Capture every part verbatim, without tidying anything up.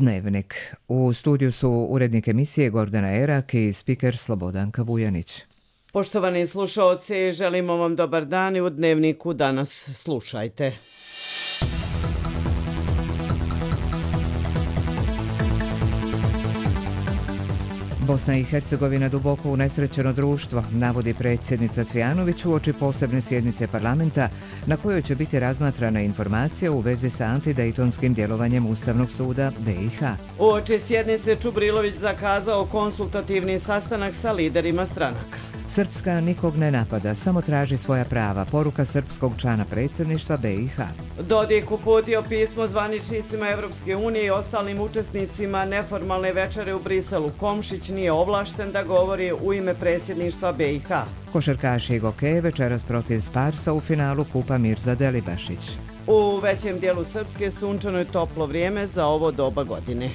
Dnevnik. U studiju su urednik emisije Gordana Erak i spiker Slobodanka Vujanić. Poštovani slušaoci, želimo vam dobar dan i u Dnevniku danas slušajte. Bosna i Hercegovina duboko unesrećeno društvo, navodi predsjednica Cvijanović uoči posebne sjednice parlamenta na kojoj će biti razmatrana informacija u vezi sa antidejtonskim djelovanjem Ustavnog suda B i H. Uoči sjednice Čubrilović zakazao konsultativni sastanak sa liderima stranaka. Srpska nikog ne napada, samo traži svoja prava, poruka srpskog člana predsjedništva B i H. Dodik uputio pismo zvaničnicima Evropske unije i ostalim učesnicima neformalne večere u Briselu. Komšić nije ovlašten da govori u ime predsjedništva B i H. Košarkaši Goke večeras protiv Sparsa u finalu Kupa Mirza Delibašić. U većem dijelu Srpske sunčano je toplo vrijeme za ovo doba godine.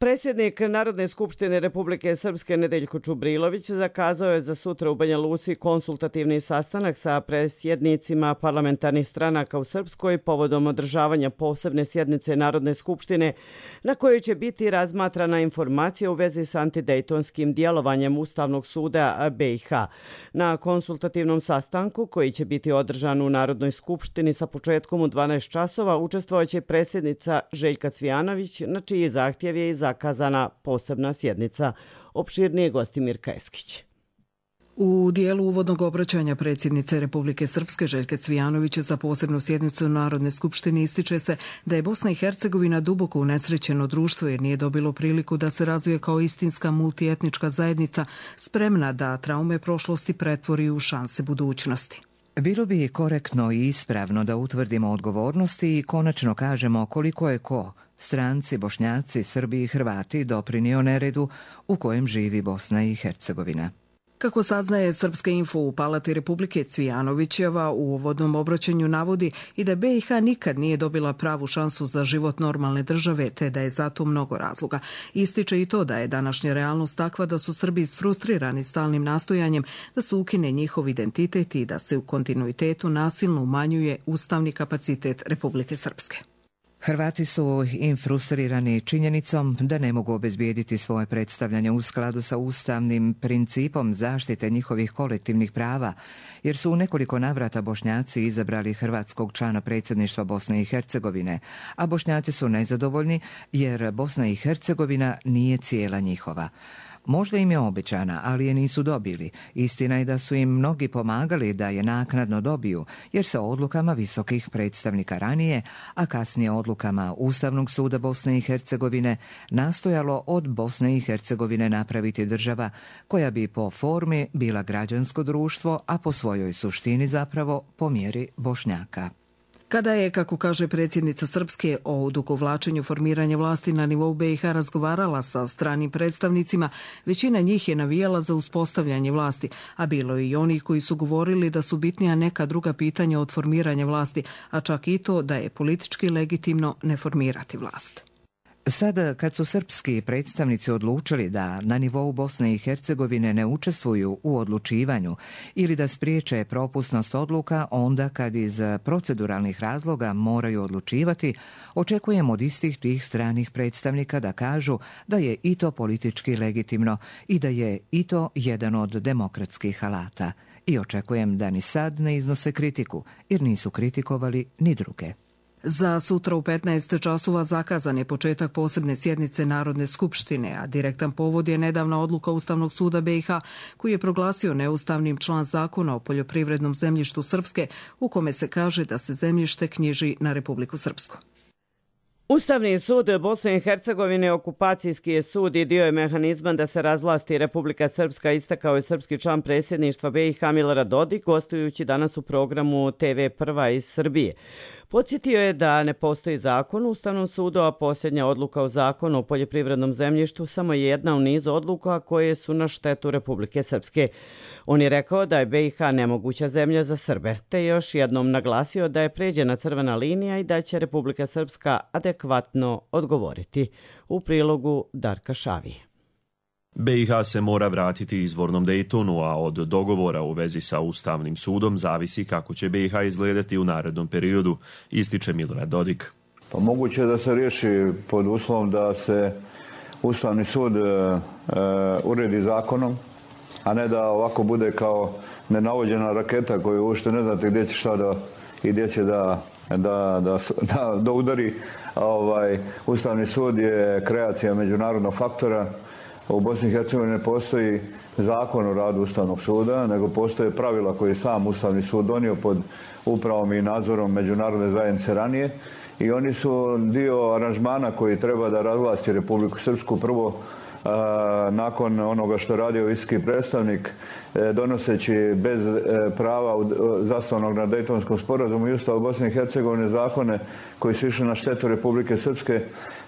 Predsjednik Narodne skupštine Republike Srpske Nedeljko Čubrilović zakazao je za sutra u Banja Luci konsultativni sastanak sa predsjednicima parlamentarnih stranaka u Srpskoj povodom održavanja posebne sjednice Narodne skupštine na kojoj će biti razmatrana informacija u vezi s antidejtonskim djelovanjem Ustavnog suda B i H. Na konsultativnom sastanku koji će biti održan u Narodnoj skupštini sa početkom u dvanaest časova učestvovaće predsjednica Željka Cvijanović, na čiji zahtjev je i zakazana posebna sjednica. Opširnije gosti Mirka Eskić. U dijelu uvodnog obraćanja predsjednice Republike Srpske Željke Cvijanović za posebnu sjednicu Narodne skupštine ističe se da je Bosna i Hercegovina duboko unesrećeno društvo jer nije dobilo priliku da se razvije kao istinska multietnička zajednica spremna da traume prošlosti pretvori u šanse budućnosti. Bilo bi korektno i ispravno da utvrdimo odgovornosti i konačno kažemo koliko je ko, stranci, Bošnjaci, Srbi i Hrvati, doprinio neredu u kojem živi Bosna i Hercegovina. Kako saznaje Srpska info u Palati Republike, Cvijanovićeva u uvodnom obraćanju navodi i da B i H nikad nije dobila pravu šansu za život normalne države, te da je zato mnogo razloga. Ističe i to da je današnja realnost takva da su Srbi isfrustrirani stalnim nastojanjem da se ukine njihov identitet i da se u kontinuitetu nasilno umanjuje ustavni kapacitet Republike Srpske. Hrvati su infrustrirani činjenicom da ne mogu obezbijediti svoje predstavljanje u skladu sa ustavnim principom zaštite njihovih kolektivnih prava, jer su u nekoliko navrata Bošnjaci izabrali hrvatskog člana predsjedništva Bosne i Hercegovine, a Bošnjaci su nezadovoljni jer Bosna i Hercegovina nije cijela njihova. Možda im je obećana, ali je nisu dobili. Istina je da su im mnogi pomagali da je naknadno dobiju, jer se odlukama visokih predstavnika ranije, a kasnije odlukama Ustavnog suda Bosne i Hercegovine, nastojalo od Bosne i Hercegovine napraviti država koja bi po formi bila građansko društvo, a po svojoj suštini zapravo po mjeri Bošnjaka. Kada je, kako kaže predsjednica Srpske, o odugovlačenju formiranja vlasti na nivou B i H razgovarala sa stranim predstavnicima, većina njih je navijala za uspostavljanje vlasti, a bilo je i onih koji su govorili da su bitnija neka druga pitanja od formiranja vlasti, a čak i to da je politički legitimno ne formirati vlast. Sada, kad su srpski predstavnici odlučili da na nivou Bosne i Hercegovine ne učestvuju u odlučivanju ili da spriječe propusnost odluka onda kad iz proceduralnih razloga moraju odlučivati, očekujemo od istih tih stranih predstavnika da kažu da je i to politički legitimno i da je i to jedan od demokratskih alata. I očekujem da ni sad ne iznose kritiku, jer nisu kritikovali ni druge. Za sutra u petnaest časova zakazan je početak posebne sjednice Narodne skupštine, a direktan povod je nedavna odluka Ustavnog suda B i H koji je proglasio neustavnim član zakona o poljoprivrednom zemljištu Srpske u kome se kaže da se zemljište knjiži na Republiku Srpsku. Ustavni sud Bosne i Hercegovine okupacijski je sud i dio je mehanizma da se razvlasti Republika Srpska, istakao je srpski član predsjedništva B i H Milorad Dodik, gostujući danas u programu T V Prva iz Srbije. Podsjetio je da ne postoji zakon u Ustavnom sudu, a posljednja odluka o zakonu o poljoprivrednom zemljištu samo je jedna u nizu odluka koje su na štetu Republike Srpske. On je rekao da je B i H nemoguća zemlja za Srbe, te još jednom naglasio da je pređena crvena linija i da će Republika Srpska adekvatno odgovoriti. U prilogu Darka Šavije. B i H se mora vratiti izvornom Daytonu, a od dogovora u vezi sa Ustavnim sudom zavisi kako će B i H izgledati u narednom periodu, ističe Milorad Dodik. Pa moguće je da se riješi pod uslovom da se Ustavni sud e, e, uredi zakonom, a ne da ovako bude kao nenavođena raketa koju uopšte ne znate gdje će šta da i gdje će da, da, da, da, da udari. Ovaj, Ustavni sud je kreacija međunarodnog faktora. U Bosni i Hercegovini ne postoji zakon o radu Ustavnog suda, nego postoje pravila koje je sam Ustavni sud donio pod upravom i nadzorom međunarodne zajednice ranije. I oni su dio aranžmana koji treba da razvlasti Republiku Srpsku prvo a, nakon onoga što je radio visoki predstavnik e, donoseći bez e, prava u, zasnovanog na Dejtonskom sporazumu i Ustavu Bosne i Hercegovine zakone koji su išli na štetu Republike Srpske.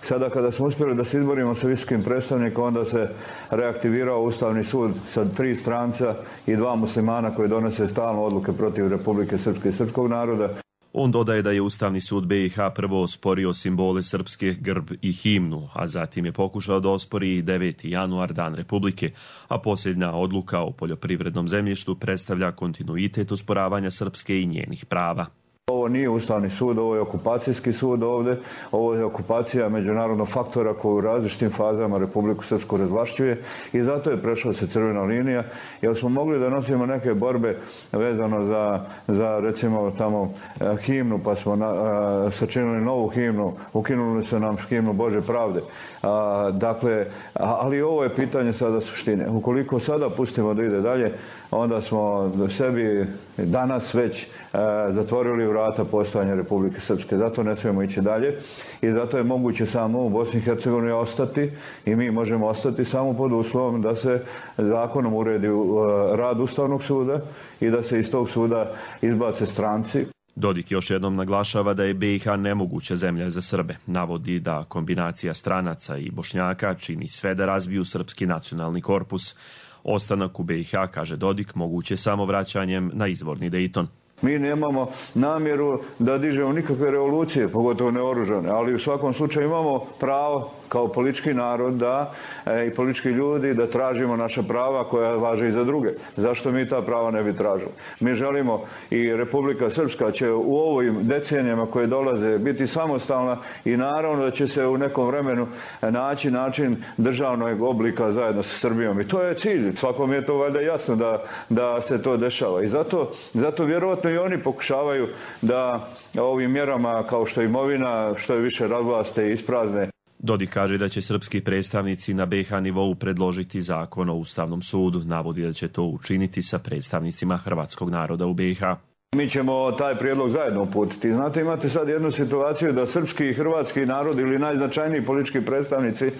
Sada kada smo uspjeli da se izborimo sa visokim predstavnikom, onda se reaktivirao Ustavni sud sa tri stranca i dva muslimana koji donose stalno odluke protiv Republike Srpske i srpskog naroda. On dodaje da je Ustavni sud B i H prvo osporio simbole srpske, grb i himnu, a zatim je pokušao da ospori i deveti januar, Dan Republike, a posljednja odluka o poljoprivrednom zemljištu predstavlja kontinuitet osporavanja srpske i njenih prava. Ovo nije Ustavni sud, ovo je okupacijski sud ovdje, ovo je okupacija međunarodnog faktora koji u različitim fazama Republiku Srpsku razvlašćuje i zato je prešla se crvena linija, jer smo mogli da nosimo neke borbe vezano za, za recimo tamo himnu, pa smo na, a, sačinili novu himnu, ukinuli su nam himnu Bože pravde. A, dakle, ali ovo je pitanje sada suštine. Ukoliko sada pustimo da ide dalje, onda smo sebi danas već a, zatvorili vrata postojanja Republike Srpske. Zato ne smijemo ići dalje i zato je moguće samo u Bosni i Hercegovini ostati i mi možemo ostati samo pod uslovom da se zakonom uredi rad Ustavnog suda i da se iz tog suda izbace stranci. Dodik još jednom naglašava da je B i H nemoguća zemlja za Srbe. Navodi da kombinacija stranaca i Bošnjaka čini sve da razviju srpski nacionalni korpus. Ostanak u B i H, kaže Dodik, moguće samo vraćanjem na izvorni Dejton. Mi nemamo namjeru da dižemo nikakve revolucije, pogotovo neoružane, ali u svakom slučaju imamo pravo kao politički narod da, e, i politički ljudi da tražimo naša prava koja važe i za druge. Zašto mi ta prava ne bi tražili? Mi želimo i Republika Srpska će u ovim decenijama koje dolaze biti samostalna i naravno da će se u nekom vremenu naći način državnog oblika zajedno sa Srbijom. I to je cilj. Svakom je to valjda jasno da, da se to dešava. I zato, zato vjerojatno i oni pokušavaju da ovim mjerama kao što je imovina, što je više razvlaste i isprazne. Dodik kaže da će srpski predstavnici na B i H nivou predložiti zakon o Ustavnom sudu. Navodi da će to učiniti sa predstavnicima hrvatskog naroda u B i H. Mi ćemo taj prijedlog zajedno uputiti. Znate, imate sad jednu situaciju da srpski i hrvatski narod ili najznačajniji politički predstavnici,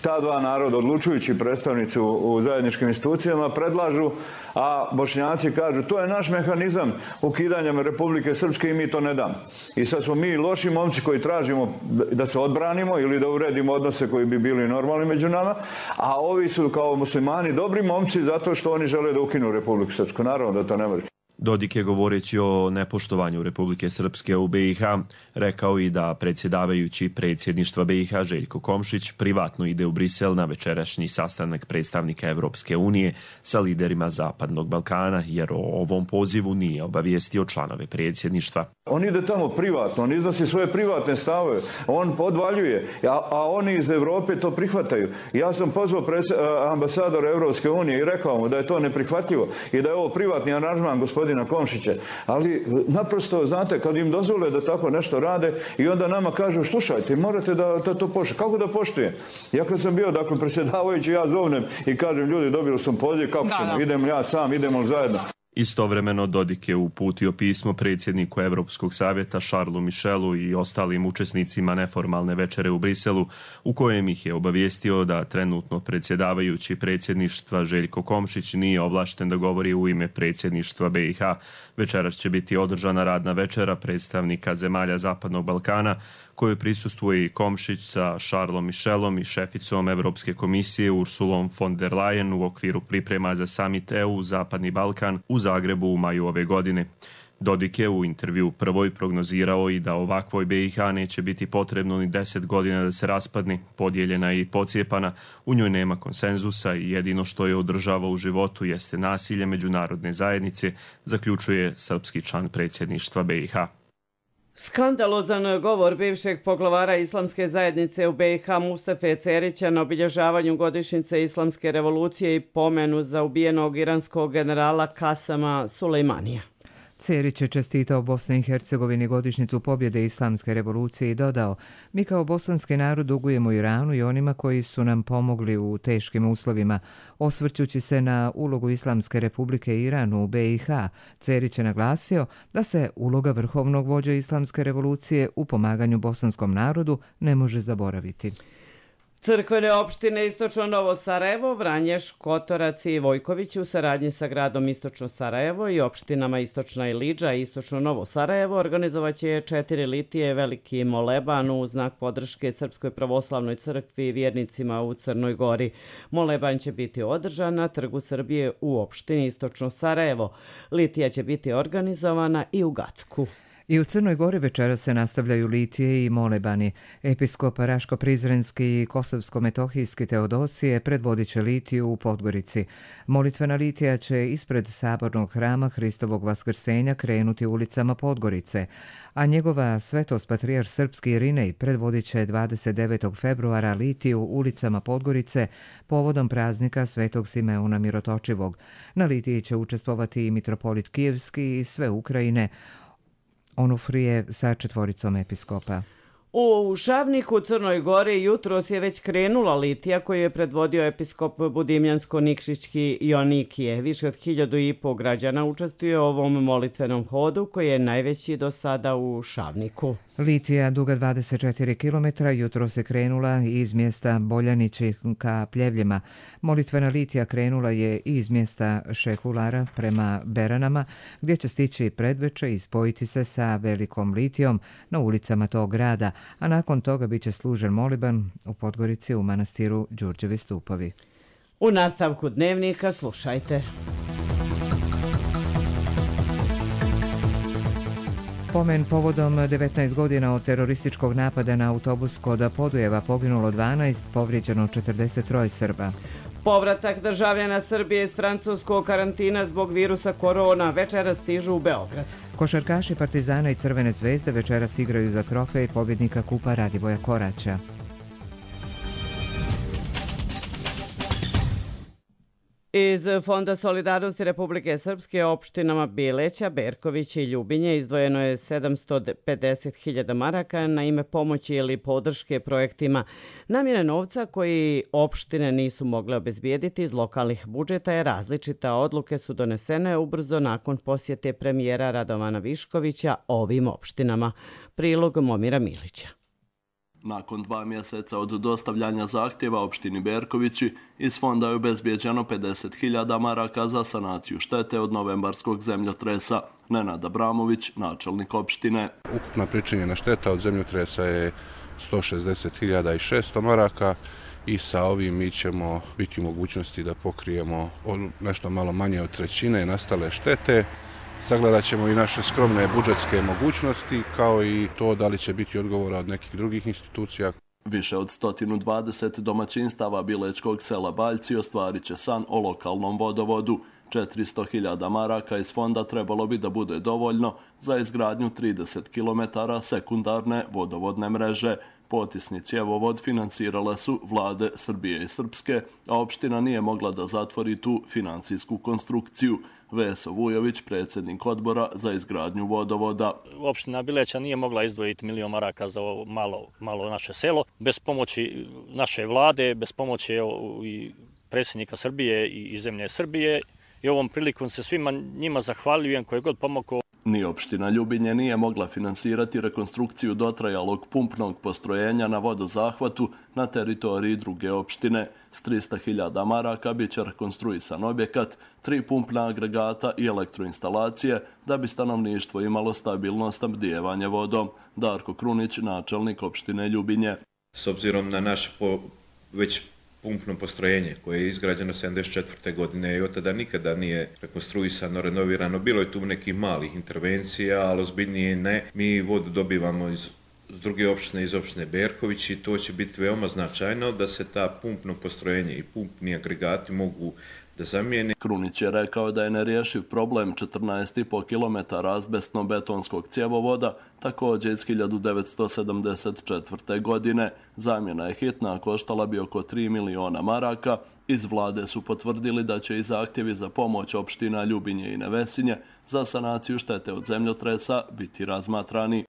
ta dva naroda, odlučujući predstavnici u, u zajedničkim institucijama, predlažu, a Bošnjaci kažu to je naš mehanizam ukidanja Republike Srpske i mi to ne damo. I sad smo mi loši momci koji tražimo da se odbranimo ili da uredimo odnose koji bi bili normalni među nama, a ovi su kao muslimani dobri momci zato što oni žele da ukinu Republiku Srpsku. Naravno da to ne može. Dodik je, govoreći o nepoštovanju Republike Srpske u B i H, rekao i da predsjedavajući predsjedništva B i H Željko Komšić privatno ide u Brisel na večerašnji sastanak predstavnika Evropske unije sa liderima Zapadnog Balkana, jer o ovom pozivu nije obavijestio članove predsjedništva. On ide tamo privatno, on iznosi svoje privatne stavove, on podvaljuje, a, a oni iz Evrope to prihvataju. Ja sam pozvao ambasadora Evropske unije i rekao mu da je to neprihvatljivo i da je ovo privatni aranžman gospodina Komšića. Ali naprosto, znate, kad im dozvole da tako nešto rade i onda nama kažu, slušajte, morate da, da to poštujete. Kako da poštujem? Ja kad sam bio, dakle, predsjedavajući, ja zovnem i kažem, ljudi, dobili sam poziv, kako ćemo, idem ja sam, idemo zajedno. Istovremeno Dodik je uputio pismo predsjedniku Evropskog savjeta Charlesu Michelu i ostalim učesnicima neformalne večere u Briselu, u kojem ih je obavijestio da trenutno predsjedavajući predsjedništva Željko Komšić nije ovlašten da govori u ime predsjedništva B i H. Večeras će biti održana radna večera predstavnika zemalja Zapadnog Balkana, kojoj prisustvuje i Komšić sa Charlesom Michelom i šeficom Evropske komisije Ursulom von der Leyen u okviru priprema za summit E U Zapadni Balkan u Zagrebu u maju ove godine. Dodik je u intervju prvoj prognozirao i da ovakvoj B i H neće biti potrebno ni deset godina da se raspadne, podijeljena i pocijepana, u njoj nema konsenzusa i jedino što je održava u životu jeste nasilje međunarodne zajednice, zaključuje srpski član predsjedništva B i H. Skandalozan govor bivšeg poglavara islamske zajednice u B i H Mustafe Cerića na obilježavanju godišnjice islamske revolucije i pomenu za ubijenog iranskog generala Kasama Sulejmanija. Cerić je čestitao Bosni i Hercegovini godišnjicu pobjede islamske revolucije i dodao: mi kao bosanski narod dugujemo Iranu i onima koji su nam pomogli u teškim uslovima. Osvrćući se na ulogu Islamske republike Iranu u B i H, Cerić je naglasio da se uloga vrhovnog vođa islamske revolucije u pomaganju bosanskom narodu ne može zaboraviti. Crkvene opštine Istočno Novo Sarajevo, Vranješ, Kotorac i Vojković u saradnji sa gradom Istočno Sarajevo i opštinama Istočna Ilidža i Istočno Novo Sarajevo organizovaće četiri litije veliki moleban u znak podrške Srpskoj pravoslavnoj crkvi i vjernicima u Crnoj Gori. Moleban će biti održan na Trgu Srbije u opštini Istočno Sarajevo. Litija će biti organizovana i u Gacku. I u Crnoj Gori večera se nastavljaju litije i molebani. Episkop Raško-Prizrenski i Kosovsko-Metohijski Teodosije predvodit će litiju u Podgorici. Molitvena litija će ispred sabornog hrama Hristovog vaskrsenja krenuti ulicama Podgorice, a njegova svetost patrijarh srpski Irinej predvodit će dvadeset devetog februara litiju ulicama Podgorice povodom praznika svetog Simeona Mirotočivog. Na litiji će učestvovati i mitropolit Kijevski i sve Ukrajine, Onufrije sa četvoricom episkopa. U Šavniku u Crnoj Gori jutros je već krenula litija koju je predvodio episkop Budimljansko-Nikšićki Jonikije. Više od hiljadu i po građana učestvuje u ovom molitvenom hodu koji je najveći do sada u Šavniku. Litija, duga dvadeset četiri kilometra, jutro se krenula iz mjesta Boljanići ka Pljevljima. Molitvena litija krenula je iz mjesta Šekulara prema Beranama, gdje će stići predveče i spojiti se sa velikom litijom na ulicama tog grada, a nakon toga bit će služen moliban u Podgorici u manastiru Đurđevi stupovi. U nastavku dnevnika slušajte. Pomen povodom devetnaest godina od terorističkog napada na autobus kod Podujeva poginulo dvanaest, povrijeđeno četrdeset tri Srba. Povratak državljana Srbije iz francuskog karantina zbog virusa korona večeras stižu u Beograd. Košarkaši Partizana i Crvene zvezde večeras igraju za trofej pobjednika kupa Radivoja Koraća. Iz Fonda solidarnosti Republike Srpske opštinama Bileća, Berković i Ljubinje izdvojeno je sedamsto pedeset hiljada maraka na ime pomoći ili podrške projektima. Namjena novca koji opštine nisu mogle obezbijediti iz lokalnih budžeta je različita. Odluke su donesene ubrzo nakon posjete premijera Radovana Viškovića ovim opštinama. Prilog Momira Milića. Nakon dva mjeseca od dostavljanja zahtjeva opštini Berkovići, iz fonda je obezbijeđeno pedeset hiljada maraka za sanaciju štete od novembarskog zemljotresa. Nenad Abramović, načelnik opštine. Ukupna pričinjena šteta od zemljotresa je sto šezdeset hiljada šesto maraka i sa ovim mi ćemo biti u mogućnosti da pokrijemo nešto malo manje od trećine nastale štete. Sagledat ćemo i naše skromne budžetske mogućnosti, kao i to da li će biti odgovora od nekih drugih institucija. Više od sto dvadeset domaćinstava Bilečkog sela Baljci ostvarit će san o lokalnom vodovodu. četiristo hiljada maraka iz fonda trebalo bi da bude dovoljno za izgradnju trideset kilometara sekundarne vodovodne mreže. Potisni cjevovod financirale su vlade Srbije i Srpske, a opština nije mogla da zatvori tu financijsku konstrukciju. Veso Vujović, predsjednik odbora za izgradnju vodovoda. Opština Bileća nije mogla izdvojiti milion maraka za ovo malo, malo naše selo. Bez pomoći naše vlade, bez pomoći i predsjednika Srbije i zemlje Srbije. I ovom prilikom se svima njima zahvaljujem koje god pomogao. Ni opština Ljubinje nije mogla finansirati rekonstrukciju dotrajalog pumpnog postrojenja na vodozahvatu na teritoriji druge opštine. S trista hiljada maraka bit će rekonstruisan objekat, tri pumpna agregata i elektroinstalacije da bi stanovništvo imalo stabilno snabdijevanje vodom. Darko Krunić, načelnik opštine Ljubinje. S obzirom na naše po, već pumpno postrojenje koje je izgrađeno sedamdeset četvrte godine i od tada nikada nije rekonstruisano, renovirano. Bilo je tu nekih malih intervencija, ali ozbiljnije ne. Mi vodu dobivamo iz s druge opštine, iz opštine Berković, i to će biti veoma značajno da se ta pumpno postrojenje i pumpni agregati mogu da zamijeni. Krunić je rekao da je nerješiv problem četrnaest i po kilometara azbestno-betonskog cjevovoda, također iz hiljadu devetsto sedamdeset četvrte. godine. Zamjena je hitna, a koštala bi oko tri miliona maraka. Iz vlade su potvrdili da će i zahtjevi za pomoć opština Ljubinje i Nevesinje za sanaciju štete od zemljotresa biti razmatrani.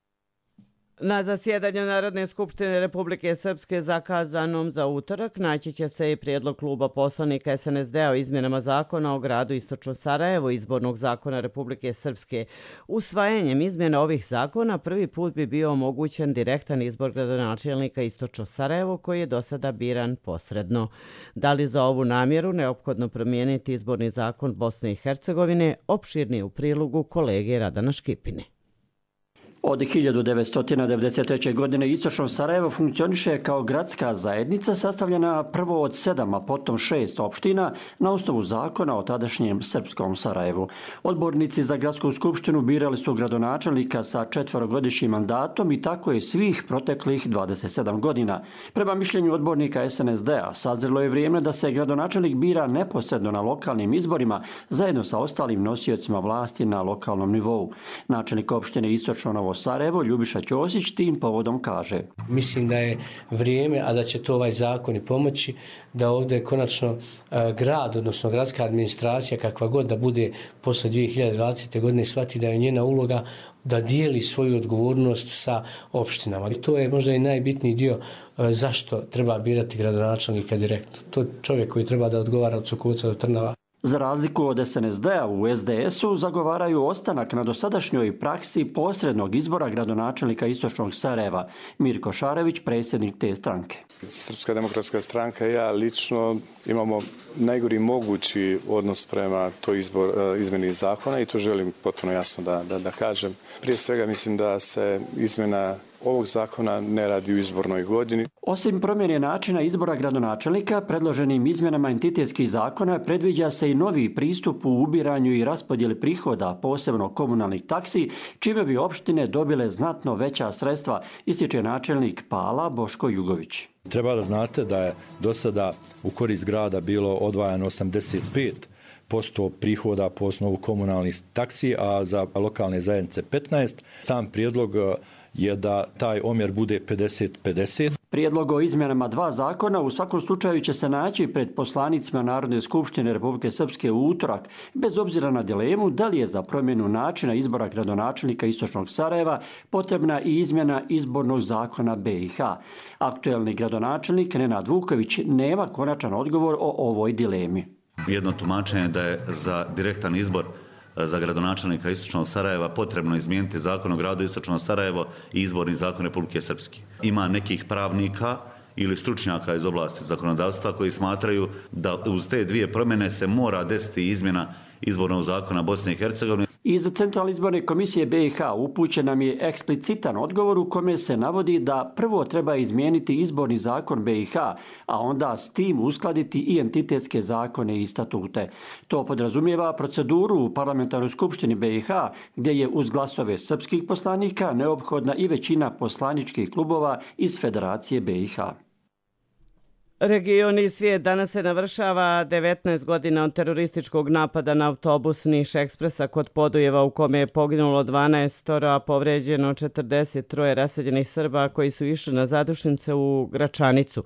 Na zasjedanju Narodne skupštine Republike Srpske zakazanom za utorak naći će se i prijedlog kluba poslanika S N S D-a o izmjenama zakona o gradu Istočno Sarajevo, izbornog zakona Republike Srpske. Usvajanjem izmjena ovih zakona prvi put bi bio omogućen direktan izbor gradonačelnika Istočno Sarajevo, koji je do sada biran posredno. Da li za ovu namjeru neophodno promijeniti izborni zakon Bosne i Hercegovine, opširni u prilogu kolege Radana Škipine. Od hiljadu devetsto devedeset treće. godine Istočno Sarajevo funkcioniše kao gradska zajednica sastavljena prvo od sedam, a potom šest opština na osnovu zakona o tadašnjem srpskom Sarajevu. Odbornici za gradsku skupštinu birali su gradonačelnika sa četverogodišnjim mandatom i tako je svih proteklih dvadeset sedam godina. Prema mišljenju odbornika S N S D-a, sazrelo je vrijeme da se gradonačelnik bira neposredno na lokalnim izborima zajedno sa ostalim nosiocima vlasti na lokalnom nivou. Načelnik opštine Istočno Novo Sarajevo, Ljubiša Ćosić, tim povodom kaže: Mislim da je vrijeme, a da će to ovaj zakon i pomoći, da ovdje konačno grad, odnosno gradska administracija, kakva god da bude posle dvije hiljade dvadesete. godine, shvati da je njena uloga da dijeli svoju odgovornost sa opštinama. I to je možda i najbitniji dio zašto treba birati gradonačelnika direktno. To je čovjek koji treba da odgovara od Sukovca do Trnava. Za razliku od S N S D-a, u S D S-u zagovaraju ostanak na dosadašnjoj praksi posrednog izbora gradonačelnika Istočnog Sarajeva. Mirko Šarević, predsjednik te stranke. Srpska demokratska stranka i ja lično imamo najgori mogući odnos prema toj izbor, izmeni zakona i to želim potpuno jasno da, da, da kažem. Prije svega mislim da se izmjena ovog zakona ne radi u izbornoj godini. Osim promjene načina izbora gradonačelnika, predloženim izmjenama entitetskih zakona predviđa se i novi pristup u ubiranju i raspodjeli prihoda, posebno komunalnih taksi, čime bi opštine dobile znatno veća sredstva, ističe načelnik Pala Boško Jugović. Treba da znate da je do sada u korist grada bilo odvajano osamdeset pet posto prihoda po osnovu komunalnih taksi, a za lokalne zajednice petnaest. Sam prijedlog je da taj omjer bude pedeset pedeset. Prijedlog o izmjenama dva zakona u svakom slučaju će se naći pred poslanicima Narodne skupštine Republike Srpske u utorak, bez obzira na dilemu da li je za promjenu načina izbora gradonačelnika Istočnog Sarajeva potrebna i izmjena izbornog zakona B i H. Aktuelni gradonačelnik Nenad Vuković nema konačan odgovor o ovoj dilemi. Jedno tumačenje da je za direktan izbor za gradonačelnika Istočnog Sarajeva potrebno izmijeniti zakon o gradu Istočno Sarajevo i izborni zakon Republike Srpske. Ima nekih pravnika ili stručnjaka iz oblasti zakonodavstva koji smatraju da uz te dvije promjene se mora desiti izmjena izbornog zakona Bosne i Hercegovine. Iz Centralne izborne komisije B i H upućen nam je eksplicitan odgovor u kome se navodi da prvo treba izmijeniti izborni zakon B i H, a onda s tim uskladiti i entitetske zakone i statute. To podrazumijeva proceduru u parlamentarnoj skupštini B i H, gdje je uz glasove srpskih poslanika neophodna i većina poslaničkih klubova iz Federacije B i H. Region i svijet, danas se navršava devetnaest godina od terorističkog napada na autobus Niš Ekspresa kod Podujeva, u kome je poginulo dvanaest, a povređeno četrdeset tri raseljenih Srba koji su išli na zadušnice u Gračanicu.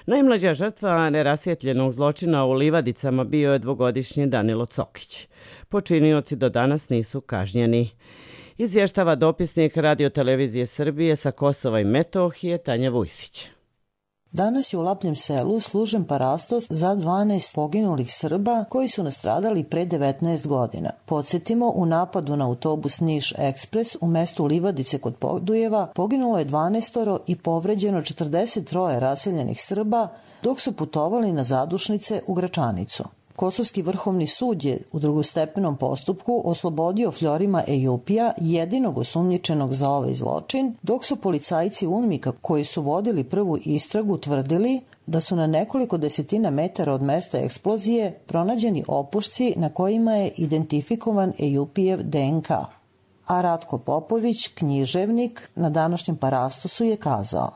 Najmlađa žrtva nerasvjetljenog zločina u Livadicama bio je dvogodišnji Danilo Cokić. Počinioci do danas nisu kažnjeni. Izvještava dopisnik Radio-televizije Srbije sa Kosova i Metohije Tanja Vujsić. Danas je u Lapljem selu služen parastos za dvanaest poginulih Srba koji su nastradali pre devetnaest godina. Podsjetimo, u napadu na autobus Niš Ekspres u mestu Livadice kod Podujeva poginulo je dvanaest i povređeno četrdeset tri raseljenih Srba dok su putovali na zadušnice u Gračanicu. Kosovski vrhovni sud je u drugostepenom postupku oslobodio Fjorima Ejupija, jedinog osumnjičenog za ovaj zločin, dok su policajci UNMIK-a koji su vodili prvu istragu tvrdili da su na nekoliko desetina metara od mesta eksplozije pronađeni opušci na kojima je identifikovan Ejupijev D N K. A Ratko Popović, književnik, na današnjem parastosu je kazao: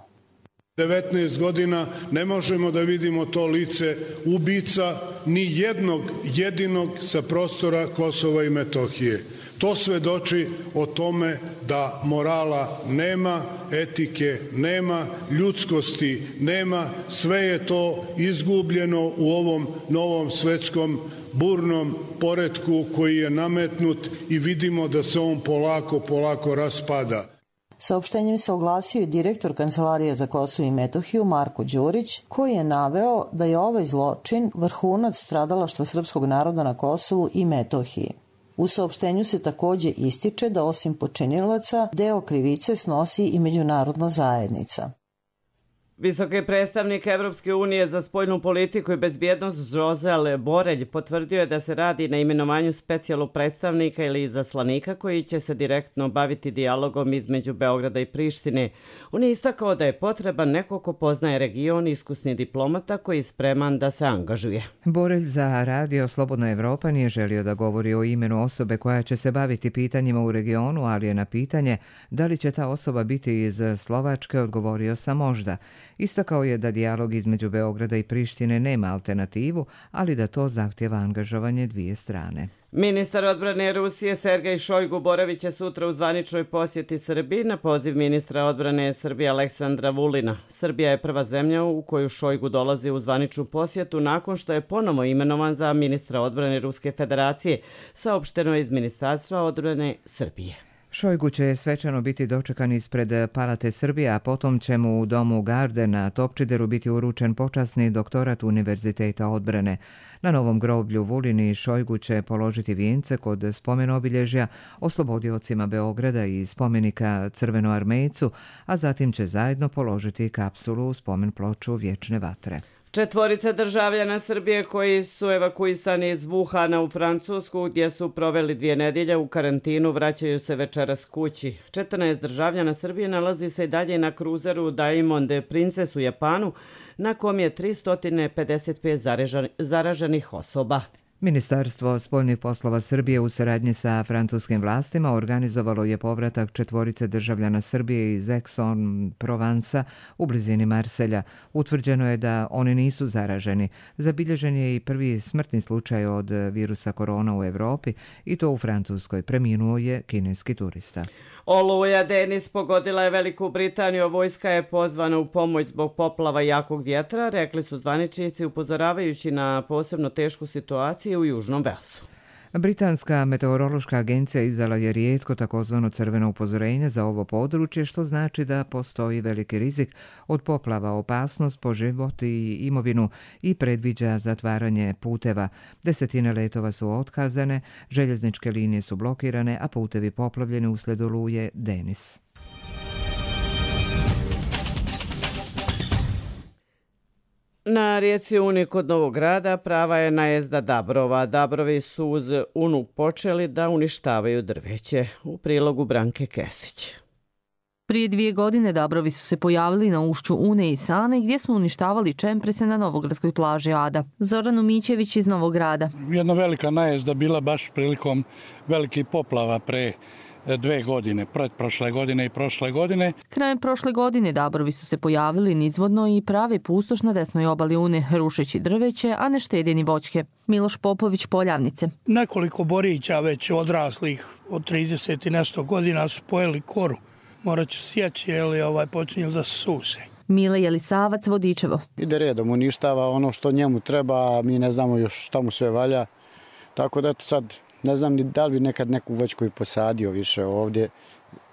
devetnaest godina ne možemo da vidimo to lice ubica ni jednog jedinog sa prostora Kosova i Metohije. To svedoči o tome da morala nema, etike nema, ljudskosti nema, sve je to izgubljeno u ovom novom svetskom burnom poretku koji je nametnut i vidimo da se on polako, polako raspada. Saopštenjem se oglasio i direktor Kancelarije za Kosovo i Metohiju Marko Đurić, koji je naveo da je ovaj zločin vrhunac stradalaštva srpskog naroda na Kosovu i Metohiji. U saopštenju se takođe ističe da osim počinilaca deo krivice snosi i međunarodna zajednica. Visoki predstavnik Evropske unije za spoljnu politiku i bezbjednost Josel Borelj potvrdio je da se radi na imenovanju specijalnog predstavnika ili izaslanika koji će se direktno baviti dijalogom između Beograda i Prištine. On je istakao da je potreban neko ko poznaje region, iskusni diplomata koji je spreman da se angažuje. Borelj za Radio Slobodna Evropa nije želio da govori o imenu osobe koja će se baviti pitanjima u regionu, ali je na pitanje da li će ta osoba biti iz Slovačke odgovorio sa možda. Istakao je da dijalog između Beograda i Prištine nema alternativu, ali da to zahtjeva angažovanje dvije strane. Ministar odbrane Rusije Sergej Šojgu boravit će sutra u zvaničnoj posjeti Srbiji na poziv ministra odbrane Srbije Aleksandra Vulina. Srbija je prva zemlja u koju Šojgu dolazi u zvaničnu posjetu nakon što je ponovo imenovan za ministra odbrane Ruske federacije, saopšteno je iz Ministarstva odbrane Srbije. Šojgu će svečano biti dočekan ispred Palate Srbije, a potom će mu u domu Garde na Topčideru biti uručen počasni doktorat Univerziteta odbrane. Na novom groblju Vulin i Šojgu će položiti vijence kod spomen-obilježja oslobodiocima Beograda i spomenika Crvenoarmejcu, a zatim će zajedno položiti kapsulu u spomen ploču Vječne vatre. Četvorica državljana Srbije koji su evakuisani iz Wuhana u Francusku, gdje su proveli dvije nedjelje u karantinu, vraćaju se večeras kući. četrnaest državljana Srbije nalazi se i dalje na kruzeru Diamond Princess u Japanu, na kom je tristo pedeset pet zaraženih osoba. Ministarstvo spoljnih poslova Srbije u saradnji sa francuskim vlastima organizovalo je povratak četvorice državljana Srbije iz Aix-en-Provence u blizini Marselja. Utvrđeno je da oni nisu zaraženi. Zabilježen je i prvi smrtni slučaj od virusa korona u Evropi i to u Francuskoj. Preminuo je kineski turista. Oluja Denis pogodila je Veliku Britaniju, vojska je pozvana u pomoć zbog poplava i jakog vjetra, rekli su zvaničnici upozoravajući na posebno tešku situaciju u Južnom Velsu. Britanska meteorološka agencija izdala je rijetko takozvano crveno upozorenje za ovo područje, što znači da postoji veliki rizik od poplava, opasnost po život i imovinu i predviđa zatvaranje puteva. Desetine letova su otkazane, željezničke linije su blokirane, a putevi poplavljeni uslijed oluje Denis. Na rijeci Uni kod Novog Grada prava je najezda dabrova. Dabrovi su uz Unu počeli da uništavaju drveće. U prilogu Branke Kesić. Prije dvije godine dabrovi su se pojavili na ušću Une i Sane gdje su uništavali čemprese na novogradskoj plaži Ada. Zoran Umićević iz Novog Grada. Jedna velika najezda bila baš prilikom velikih poplava pre dve godine, pretprošle godine i prošle godine. Krajem prošle godine dabrovi su se pojavili nizvodno i prave pustoš na desnoj obali Une, rušeći drveće, a ne štede ni voćke. Miloš Popović, Poljavnice. Nekoliko borića već odraslih od trideset i nešto godina su pojeli koru. Morat ću sjeći, jer ovaj počinju da se suse. Mile Jelisavac, Vodičevo. Ide redom, uništava ono što njemu treba, a mi ne znamo još šta mu sve valja. Tako da sad ne znam ni da li bi nekad neku voćku i posadio više ovdje,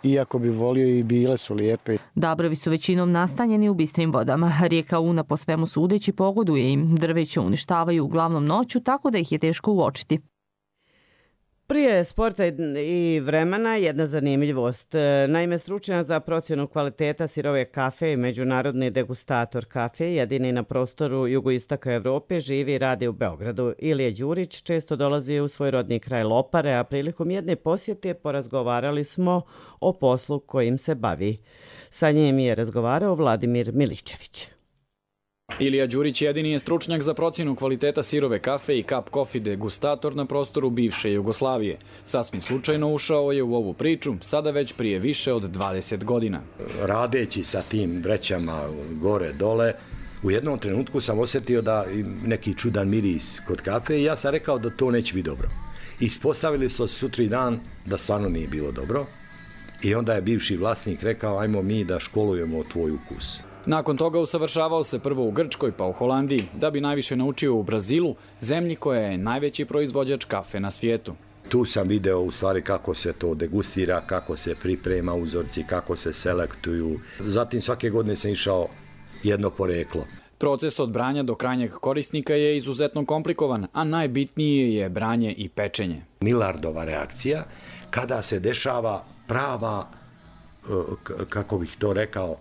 iako bi volio i bile su lijepe. Dabrovi su većinom nastanjeni u bistrim vodama. Rijeka Una po svemu sudeći pogoduje im. Drveće uništavaju uglavnom noću, tako da ih je teško uočiti. Prije sporta i vremena jedna zanimljivost. Naime, stručnjak za procjenu kvaliteta sirove kafe i međunarodni degustator kafe, jedini na prostoru jugoistaka Evrope, živi i radi u Beogradu. Ilija Đurić često dolazi u svoj rodni kraj Lopare, a prilikom jedne posjete porazgovarali smo o poslu kojim se bavi. Sa njim je razgovarao Vladimir Miličević. Ilija Đurić jedini je stručnjak za procjenu kvaliteta sirove kafe i cup coffee degustator na prostoru bivše Jugoslavije. Sasvim slučajno ušao je u ovu priču, sada već prije više od dvadeset godina. Radeći sa tim vrećama gore, dole, u jednom trenutku sam osjetio da neki čudan miris kod kafe i ja sam rekao da to neće biti dobro. Ispostavili su sutri dan da stvarno nije bilo dobro i onda je bivši vlasnik rekao ajmo mi da školujemo tvoj ukus. Nakon toga usavršavao se prvo u Grčkoj pa u Holandiji, da bi najviše naučio u Brazilu, zemlji koja je najveći proizvođač kafe na svijetu. Tu sam video u stvari kako se to degustira, kako se priprema uzorci, kako se selektuju. Zatim svake godine sam išao jedno poreklo. Proces od branja do krajnjeg korisnika je izuzetno komplikovan, a najbitnije je branje i pečenje. Millardova reakcija kada se dešava prava, kako bih to rekao,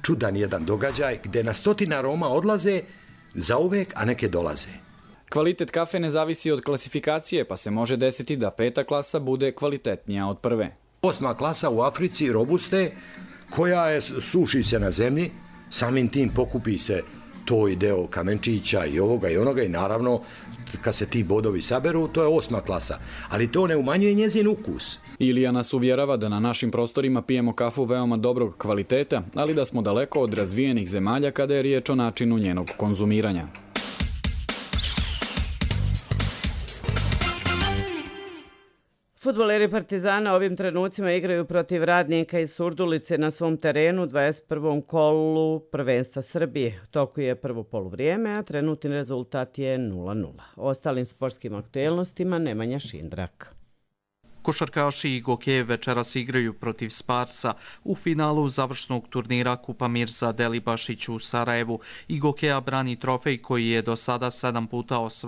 čudan jedan događaj gdje na stotine aroma odlaze zauvek, a neke dolaze. Kvalitet kafe ne zavisi od klasifikacije, pa se može desiti da peta klasa bude kvalitetnija od prve. Osma klasa u Africi, robuste, koja je, suši se na zemlji, samim tim pokupi se to i deo kamenčića i ovoga i onoga i naravno kad se ti bodovi saberu, to je osma klasa. Ali to ne umanjuje njezin ukus. Ilija nas uvjerava da na našim prostorima pijemo kafu veoma dobrog kvaliteta, ali da smo daleko od razvijenih zemalja kada je riječ o načinu njenog konzumiranja. Fudbaleri Partizana ovim trenucima igraju protiv Radnika iz Surdulice na svom terenu u dvadeset prvom kolu prvenstva Srbije. U toku je prvo poluvrijeme, a trenutni rezultat je nula nula. O ostalim sportskim aktuelnostima Nemanja Šindrak. Košarkaši i Gokeje večeras igraju protiv Sparsa u finalu završnog turnira Kupa Mirza Delibašić u Sarajevu. I Gokeja brani trofej koji je do sada sedam puta osvajao